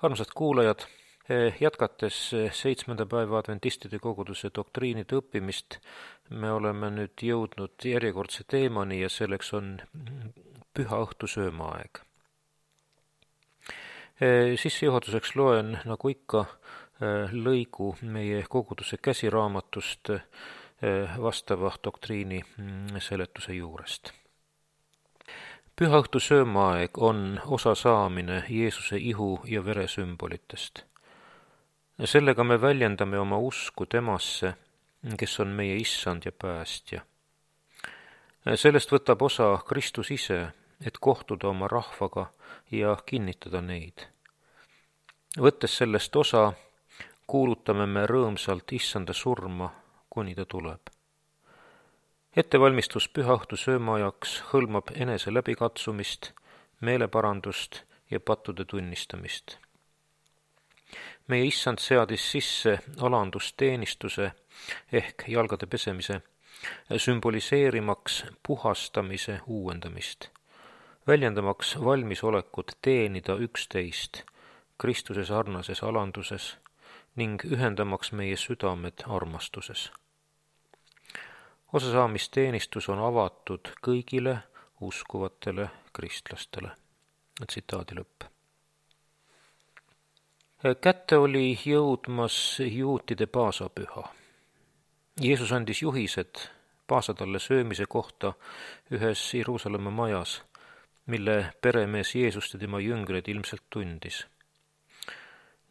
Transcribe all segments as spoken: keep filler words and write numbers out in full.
Armsad kuulajad, jätkates seitsmenda päeva adventistide koguduse doktriinide õppimist, me oleme nüüd jõudnud järjekordse teemani ja selleks on püha õhtu söömaaeg. Sissejuhatuseks loen, nagu ikka, lõigu meie koguduse käsiraamatust vastava doktriini seletuse juurest. Püha õhtu söömaaeg on osa saamine Jeesuse ihu ja vere sümbolitest. Sellega me väljendame oma usku temasse, kes on meie issand ja päästja. Sellest võtab osa Kristus ise, et kohtuda oma rahvaga ja kinnitada neid. Võttes sellest osa, kuulutame me rõõmsalt issanda surma, kuni ta tuleb. Ettevalmistus püha õhtu söömaajaks hõlmab enese läbikatsumist, meeleparandust ja pattude tunnistamist. Meie issand seadis sisse alandusteenistuse ehk jalgade pesemise, sümboliseerimaks puhastamise uuendamist, väljendamaks valmisolekut teenida üksteist Kristuse sarnases alanduses ning ühendamaks meie südamed armastuses. Osasaamisteenistus on avatud kõigile uskuvatele kristlastele. Tsitaadi lõpp. Kätte oli jõudmas juutide paasapüha. Jeesus andis juhised paasatalle söömise kohta ühes Jeruusalemma majas, mille peremees Jeesust ja tema jüngrid ilmselt tundis,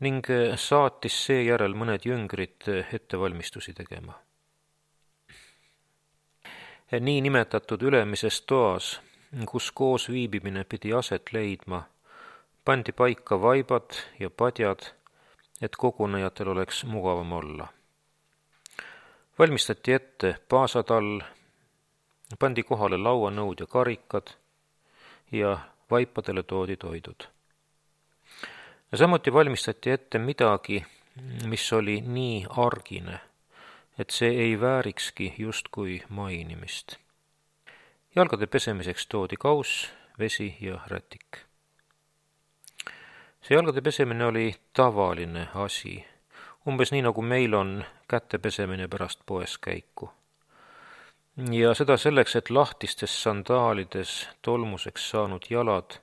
ning saatis seejärel mõned jüngrid ettevalmistusi tegema. Nii nimetatud ülemises toas, kus koos viibimine pidi aset leidma, pandi paika vaibad ja padjad, et kogunejatel oleks mugavam olla. Valmistati ette paasatall, pandi kohale lauanõud ja karikad ja vaipadele toodi toidud. Samuti valmistati ette midagi, mis oli nii argine, et see ei väärikski justkui mainimist. Jalgade pesemiseks toodi kauss, vesi ja rätik. See jalgade pesemine oli tavaline asi, umbes nii nagu meil on käte pesemine pärast poes käiku. Ja seda selleks, et lahtistes sandaalides tolmuseks saanud jalad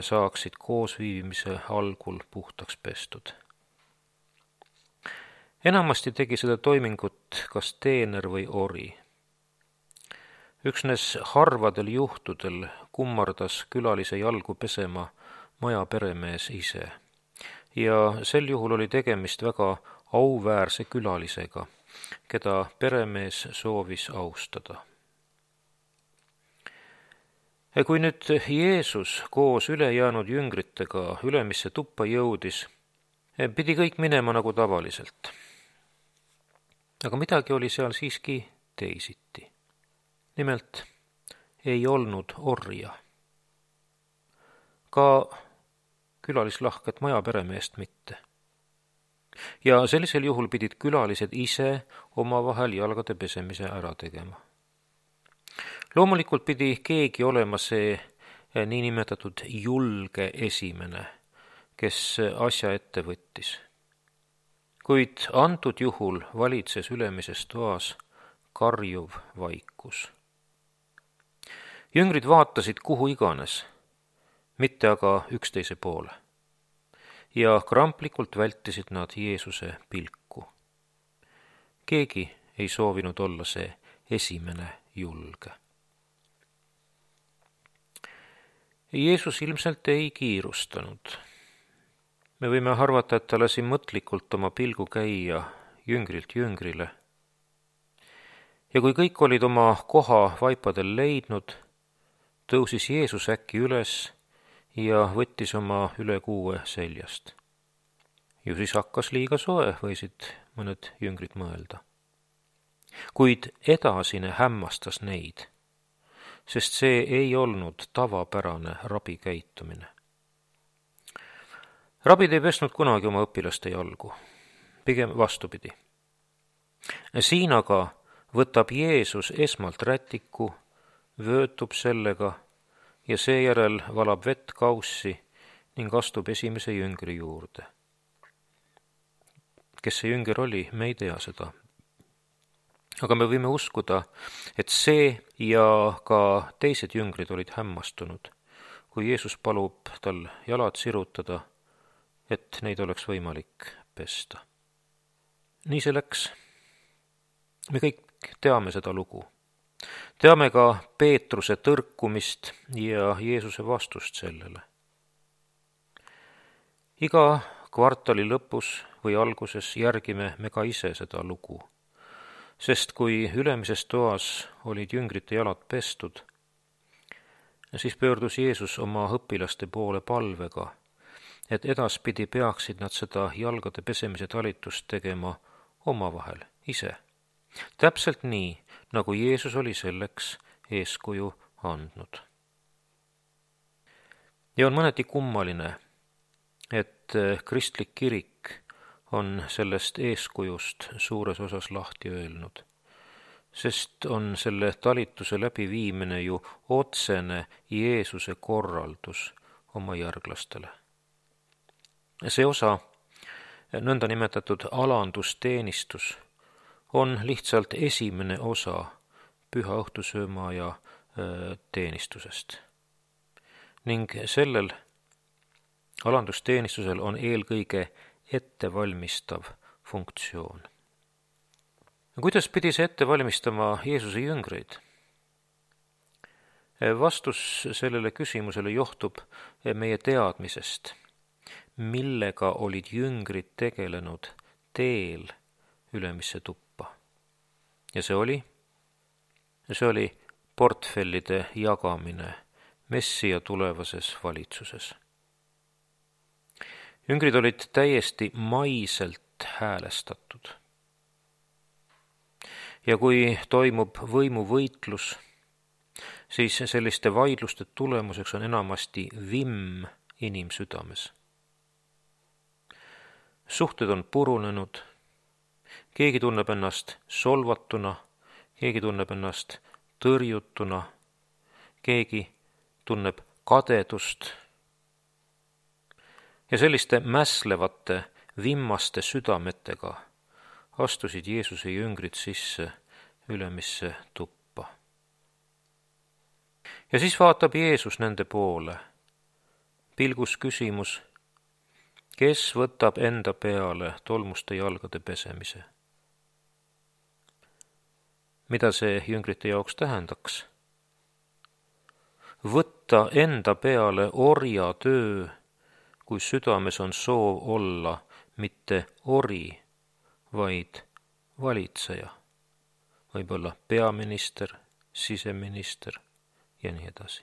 saaksid koosviibimise algul puhtaks pestud. Enamasti tegi seda toimingut kas teener või ori. Üksnes harvadel juhtudel kummardas külalise jalgu pesema maja peremees ise ja sel juhul oli tegemist väga auväärse külalisega, keda peremees soovis austada. Kui nüüd Jeesus koos ülejäänud jüngritega ülemisse tuppa jõudis, pidi kõik minema nagu tavaliselt. Aga midagi oli seal siiski teisiti. Nimelt ei olnud orja. Ka külalislahket maja peremeest mitte. Ja sellisel juhul pidid külalised ise omavahel jalgade pesemise ära tegema. Loomulikult pidi keegi olema see niinimetatud julge esimene, kes asja ette võttis. Kuid antud juhul valitses ülemises toas karjuv vaikus. Jüngrid vaatasid kuhu iganes, mitte aga üksteise poole, ja kramplikult vältisid nad Jeesuse pilku. Keegi ei soovinud olla see esimene julge. Jeesus ilmselt ei kiirustanud. Me võime arvata, et ta lasi mõtlikult oma pilgu käia jüngrilt jüngrile. Ja kui kõik olid oma koha vaipadel leidnud, tõusis Jeesus äkki üles ja võttis oma ülekuue seljast. Ju siis hakkas liiga soe, võisid mõned jüngrid mõelda. Kuid edasine hämmastas neid, sest see ei olnud tavapärane rabi käitumine. Rabid ei pesnud kunagi oma õpilaste jalgu, pigem vastupidi. Siin aga võtab Jeesus esmalt rätiku, vöötub sellega ja seejärel valab vett kaussi ning astub esimese jüngri juurde. Kes see jünger oli, me ei tea seda. Aga me võime uskuda, et see ja ka teised jüngrid olid hämmastunud, kui Jeesus palub tal jalad sirutada, et neid oleks võimalik pesta. Nii see läks. Me kõik teame seda lugu. Teame ka Peetruse tõrkumist ja Jeesuse vastust sellele. Iga kvartali lõpus või alguses järgime me ka ise seda lugu, sest kui ülemises toas olid jüngrite jalad pestud, siis pöördus Jeesus oma õpilaste poole palvega, et edaspidi peaksid nad seda jalgade pesemise talitust tegema omavahel ise. Täpselt nii, nagu Jeesus oli selleks eeskuju andnud. Ja on mõneti kummaline, et kristlik kirik on sellest eeskujust suures osas lahti öelnud, sest on selle talituse läbiviimine ju otsene Jeesuse korraldus oma järglastele. See osa, nõnda nimetatud alandusteenistus, on lihtsalt esimene osa püha õhtusöömaja teenistusest. Ning sellel alandusteenistusel on eelkõige ettevalmistav funktsioon. Kuidas pidi see ette valmistama Jeesuse jüngreid? Vastus sellele küsimusele johtub meie teadmisest, millega olid jüngrid tegelenud teel ülemisse tuppa. Ja see oli, see oli portfellide jagamine Messija tulevases valitsuses. Jüngrid olid täiesti maiselt häälestatud. Ja kui toimub võimuvõitlus, siis selliste vaidluste tulemuseks on enamasti vimm inimsüdames. Suhted on purunenud, keegi tunneb ennast solvatuna, keegi tunneb ennast tõrjutuna, keegi tunneb kadedust. Ja selliste mässlevate, vimmaste südametega astusid Jeesuse jüngrid sisse ülemisse tuppa. Ja siis vaatab Jeesus nende poole. Pilgus küsimus, kes võtab enda peale tolmuste jalgade pesemise? Mida see jüngrite jaoks tähendaks? Võtta enda peale orja töö, kui südames on soov olla mitte ori, vaid valitseja. Võib-olla peaminister, siseminister ja nii edasi.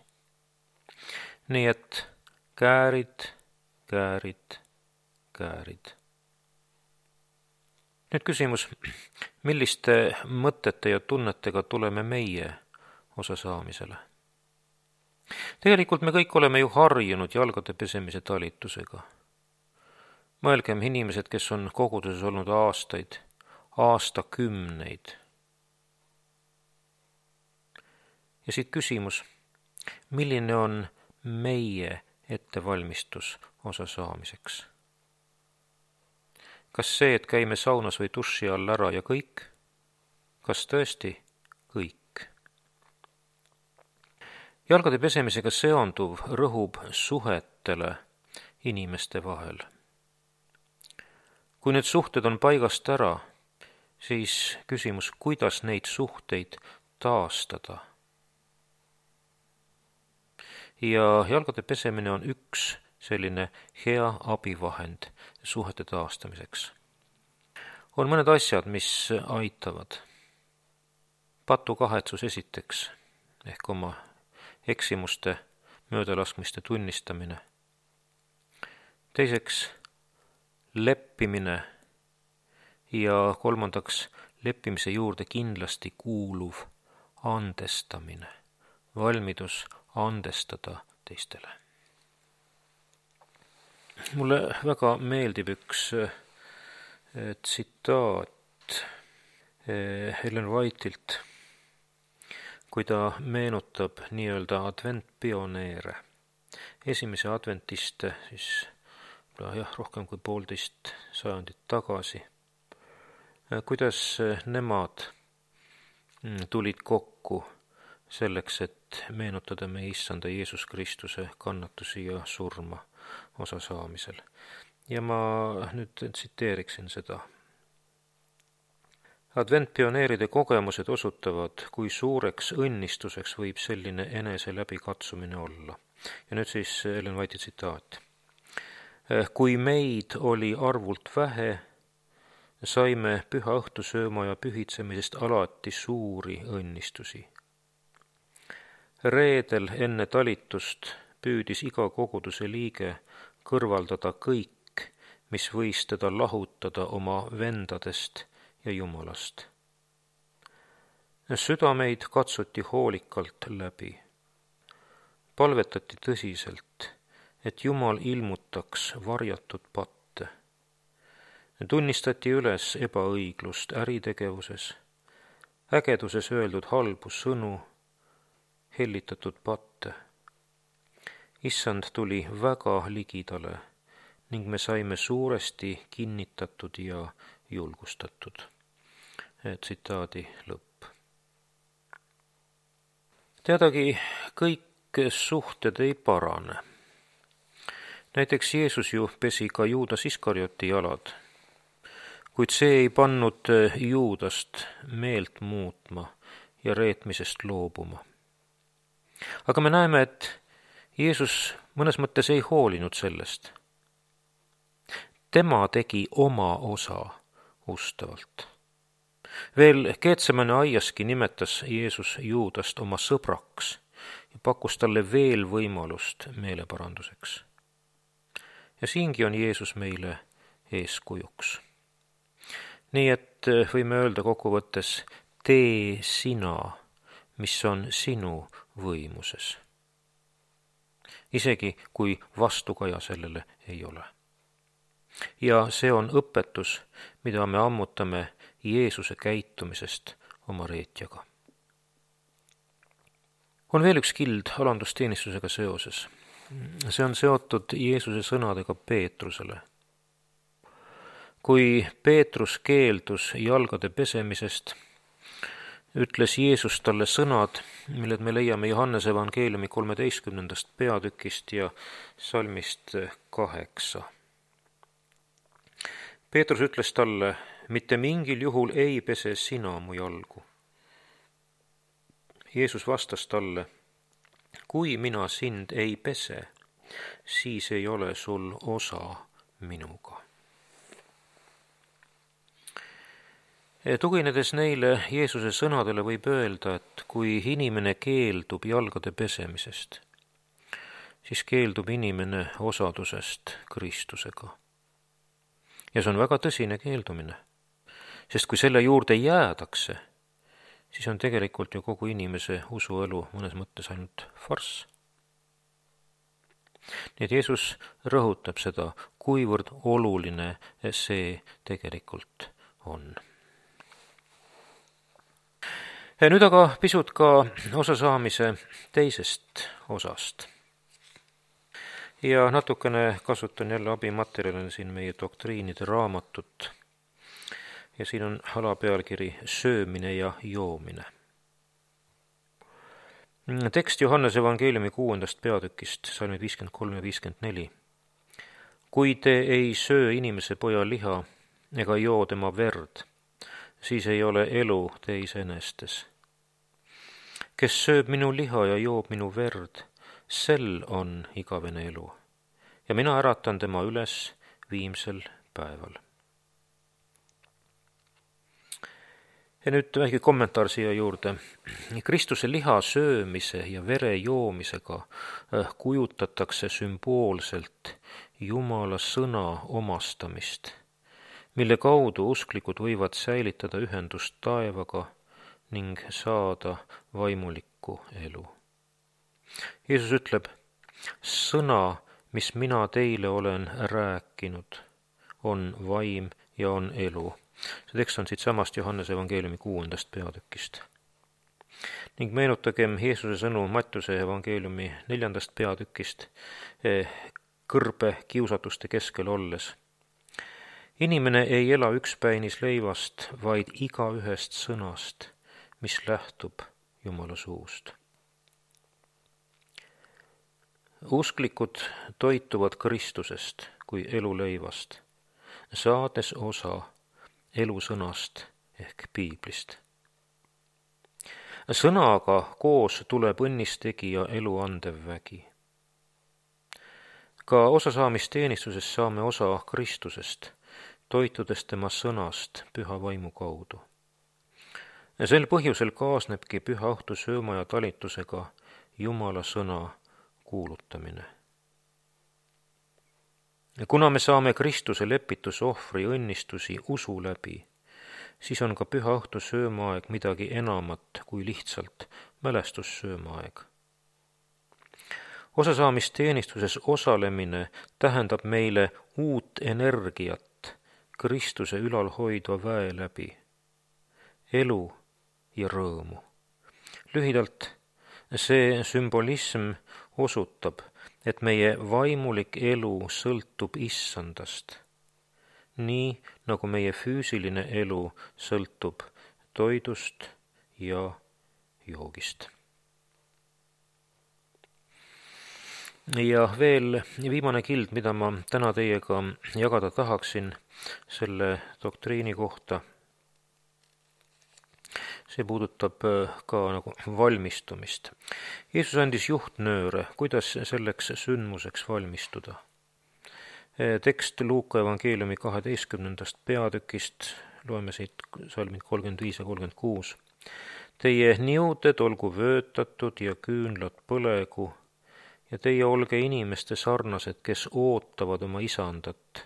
Nii et käärid, käärid, käärid. Nüüd küsimus, milliste mõtete ja tunnetega tuleme meie osa saamisele? Tegelikult me kõik oleme ju harjunud jalgade pesemise talitusega. Mõelgem inimesed, kes on koguduses olnud aastaid, aastakümneid. Ja siit küsimus, milline on meie ettevalmistus osa saamiseks? Kas see, et käime saunas või duši all ära ja kõik? Kas tõesti kõik? Jalgade pesemisega seonduv rõhub suhetele inimeste vahel. Kui need suhted on paigast ära, siis küsimus, kuidas neid suhteid taastada. Ja jalgade pesemine on üks selline hea abivahend suhete taastamiseks. On mõned asjad, mis aitavad. Patukahetsus esiteks, ehk oma eksimuste, möödalaskmiste tunnistamine. Teiseks, leppimine ja kolmandaks, leppimise juurde kindlasti kuuluv andestamine, valmidus andestada teistele. Mulle väga meeldib üks tsitaat Ellen Whiteilt, kui ta meenutab nii-öelda adventpioneere, esimese adventiste siis jah, rohkem kui poolteist sajandit tagasi, kuidas nemad tulid kokku selleks, et meenutada meie issanda Jeesus Kristuse kannatusi ja surma osa saamisel. Ja ma nüüd tsiteeriksin seda. Adventpioneeride kogemused osutavad, kui suureks õnnistuseks võib selline enese läbikatsumine olla. Ja nüüd siis Ellen White'i tsitaat. Kui meid oli arvult vähe, saime püha õhtusööma ja pühitsemisest alati suuri õnnistusi. Reedel enne talitust püüdis iga koguduse liige kõrvaldada kõik, mis võis teda lahutada oma vendadest ja Jumalast. Südameid katsuti hoolikalt läbi. Palvetati tõsiselt, et Jumal ilmutaks varjatud patte. Tunnistati üles ebaõiglust äritegevuses, ägeduses öeldud halbu sõnu, hellitatud patte. Issand tuli väga ligidale ning me saime suuresti kinnitatud ja julgustatud. Tsitaadi lõpp. Teadagi, kõik suhted ei parane. Näiteks Jeesus ju pesi ka Juudas Iskarioti jalad, kuid see ei pannud Juudast meelt muutma ja reetmisest loobuma. Aga me näeme, et Jeesus mõnes mõttes ei hoolinud sellest. Tema tegi oma osa ustavalt. Veel Getsemane aiaski nimetas Jeesus Juudast oma sõbraks ja pakkus talle veel võimalust meeleparanduseks. Ja siingi on Jeesus meile eeskujuks. Nii et võime öelda kokkuvõttes, tee sina, mis on sinu võimuses. Isegi kui vastukaja sellele ei ole. Ja see on õpetus, mida me ammutame Jeesuse käitumisest oma reetjaga. On veel üks kild alandusteenistusega seoses. See on seotud Jeesuse sõnadega Peetrusele. Kui Peetrus keeldus jalgade pesemisest, ütles Jeesus talle sõnad, milled me leiame Johannese evangeeliumi kolmeteistkümnendast peatükist ja salmist kaheksa. Peetrus ütles talle, mitte mingil juhul ei pese sina mu jalgu. Jeesus vastas talle, kui mina sind ei pese, siis ei ole sul osa minuga. Tuginedes neile Jeesuse sõnadele võib öelda, et kui inimene keeldub jalgade pesemisest, siis keeldub inimene osadusest Kristusega. Ja see on väga tõsine keeldumine, sest kui selle juurde jäädakse, siis on tegelikult ju kogu inimese usuelu mõnes mõttes ainult farss. Nii et Jeesus rõhutab seda, kuivõrd oluline see tegelikult on. Ja nüüd aga pisut ka osasaamise teisest osast. Ja natukene kasutan jälle abimaterjalina siin meie doktriinide raamatut. Ja siin on alapealkiri söömine ja joomine. Tekst Johannese evangeeliumi kuuendast peatükist, salmid viiskümmend kolm ja viiskümmend neli. Kui te ei söö inimese poja liha ega joo tema verd, siis ei ole elu teis enestes. Kes sööb minu liha ja joob minu verd, sel on igavene elu, ja mina äratan tema üles viimsel päeval. Ja nüüd väike kommentaar siia juurde. Kristuse liha söömise ja vere joomisega kujutatakse sümboolselt Jumala sõna omastamist, mille kaudu usklikud võivad säilitada ühendust taevaga ning saada vaimulikku elu. Jeesus ütleb, sõna, mis mina teile olen rääkinud, on vaim ja on elu. See tekst on siit samast Johannese evangeeliumi kuuendast peatükist. Ning meenutagem Jeesuse sõnu Mattiuse evangeeliumi neljandast peatükist kõrbe kiusatuste keskel olles. Inimene ei ela ükspäinis leivast, vaid iga ühest sõnast, mis lähtub Jumala suust. Usklikud toituvad Kristusest kui eluleivast, saades osa elusõnast ehk piiblist. Sõnaga koos tuleb õnnistegija elu andev vägi. Ka osasaamisteenistuses saame osa Kristusest, toitudes tema sõnast püha vaimu kaudu. Sel põhjusel kaasnebki püha õhtu sööma ja talitusega Jumala sõna kuulutamine. Kuna me saame Kristuse lepitusohvri õnnistusi usu läbi, siis on ka püha õhtu söömaaeg midagi enamat kui lihtsalt mälestussöömaaeg. Osasaamisteenistuses osalemine tähendab meile uut energiat Kristuse ülal hoidva väe läbi, elu ja rõõmu. Lühidalt, see sümbolism osutab, et meie vaimulik elu sõltub issandast, nii nagu meie füüsiline elu sõltub toidust ja joogist. Ja veel viimane kild, mida ma täna teiega jagada tahaksin selle doktriini kohta. See puudutab ka nagu valmistumist. Jeesus andis juhtnööre, kuidas selleks sündmuseks valmistuda. Tekst Luuka evangeeliumi kaheteistkümnendast peatükist, loeme siit salmid kolmkümmend viis ja kolmkümmend kuus. Teie niuded olgu vöötatud ja küünlad põlegu ja teie olge inimeste sarnased, kes ootavad oma isandat,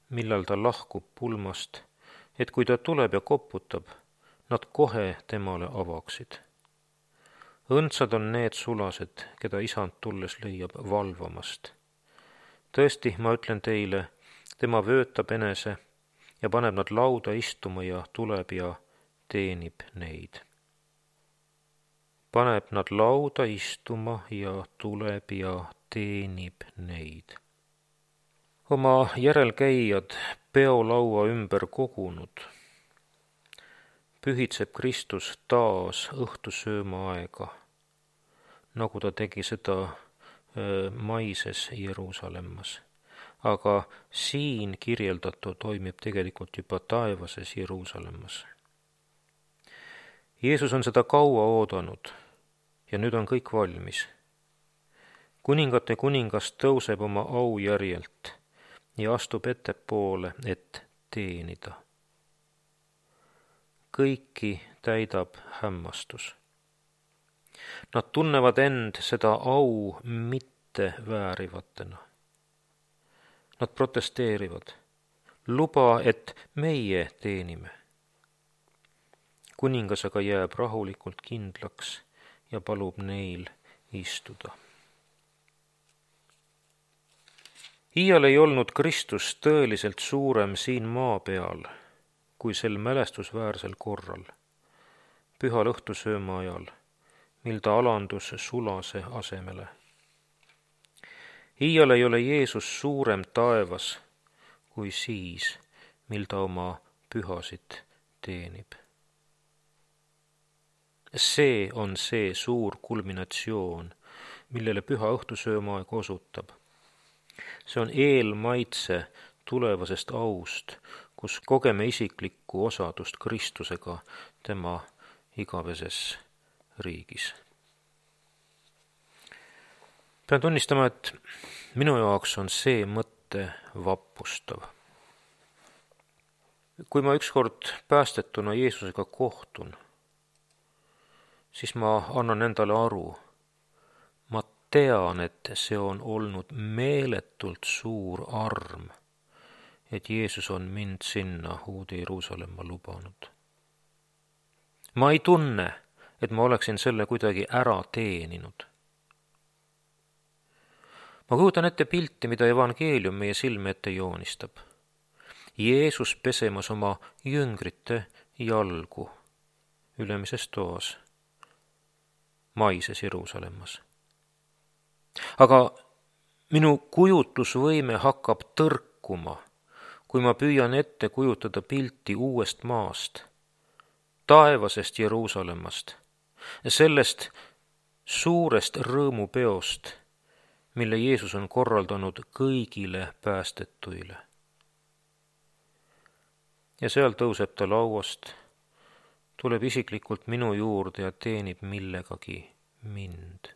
millal ta lahkub pulmast, et kui ta tuleb ja koputab, nad kohe temale avaksid. Õndsad on need sulased, keda isand tulles leiab valvamast. Tõesti, ma ütlen teile, tema vöötab enese ja paneb nad lauda istuma ja tuleb ja teenib neid. Paneb nad lauda istuma ja tuleb ja teenib neid. Oma järelkäijad peolaua ümber kogunud, pühitseb Kristus taas õhtusööma aega, nagu ta tegi seda maises Jeruusalemmas. Aga siin kirjeldatu toimib tegelikult juba taevases Jeruusalemmas. Jeesus on seda kaua oodanud ja nüüd on kõik valmis. Kuningate kuningas tõuseb oma au järjelt ja astub ettepoole, et teenida. Kõiki täidab hämmastus. Nad tunnevad end seda au mitte väärivatena. Nad protesteerivad. Luba, et meie teenime. Kuningas aga jääb rahulikult kindlaks ja palub neil istuda. Iial ei olnud Kristus tõeliselt suurem siin maa peal, kui sel mälestusväärsel korral, pühal õhtusööma ajal, mil ta alandus sulase asemele. Iial ei ole Jeesus suurem taevas kui siis, mil ta oma pühasid teenib. See on see suur kulminatsioon, millele püha õhtusöömaaeg osutab. See on eelmaitse tulevasest aust, kus kogeme isiklikku osadust Kristusega tema igaveses riigis. Pean tunnistama, et minu jaoks on see mõte vappustav. Kui ma ükskord päästetuna Jeesusega kohtun, siis ma annan endale aru. Ma tean, et see on olnud meeletult suur arm, et Jeesus on mind sinna uude Jeruusalemma lubanud. Ma ei tunne, et ma oleksin selle kuidagi ära teeninud. Ma kujutan ette pilti, mida evangeelium meie silme ette joonistab. Jeesus pesemas oma jüngrite jalgu ülemises toas, maises Jeruusalemmas. aga minu kujutlusvõime hakkab tõrkuma, kui ma püüan ette kujutada pilti uuest maast, taevasest Jeruusalemmast, sellest suurest rõõmupeost, mille Jeesus on korraldanud kõigile päästetuile. Ja seal tõuseb ta lauast, tuleb isiklikult minu juurde ja teenib millegagi mind.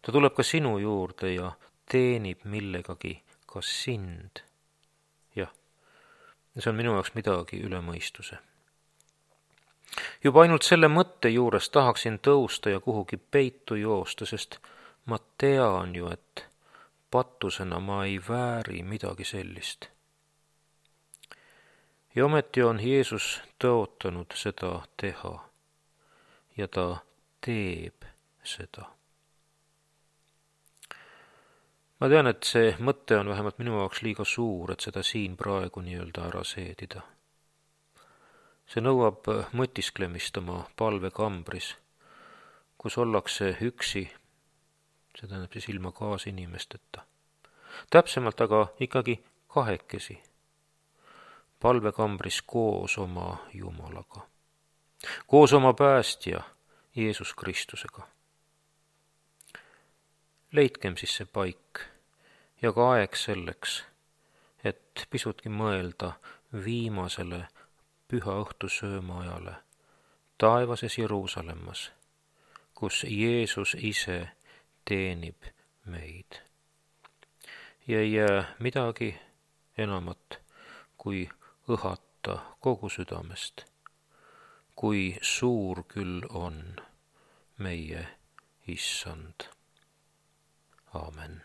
Ta tuleb ka sinu juurde ja teenib millegagi ka sind. Jah, see on minu jaoks midagi üle mõistuse. Juba ainult selle mõtte juures tahaksin tõusta ja kuhugi peitu joosta, sest ma tean ju, et patusena ma ei vääri midagi sellist. Ja ometi on Jeesus tõotanud seda teha ja ta teeb seda. Ma tean, et see mõte on vähemalt minu jaoks liiga suur, et seda siin praegu nii-öelda ära seedida. See nõuab mõtisklemist oma palvekambris, kus ollakse üksi, see tähendab siis ilma kaasinimesteta. Täpsemalt aga ikkagi kahekesi, palvekambris koos oma Jumalaga, koos oma päästja Jeesus Kristusega. Leidkem siis see paik ja ka aeg selleks, et pisutki mõelda viimasele püha õhtusööma ajale taevases Jeruusalemmas, kus Jeesus ise teenib meid. Ja ei jää midagi enamat kui õhata kogu südamest, kui suur küll on meie Issand. Aamen.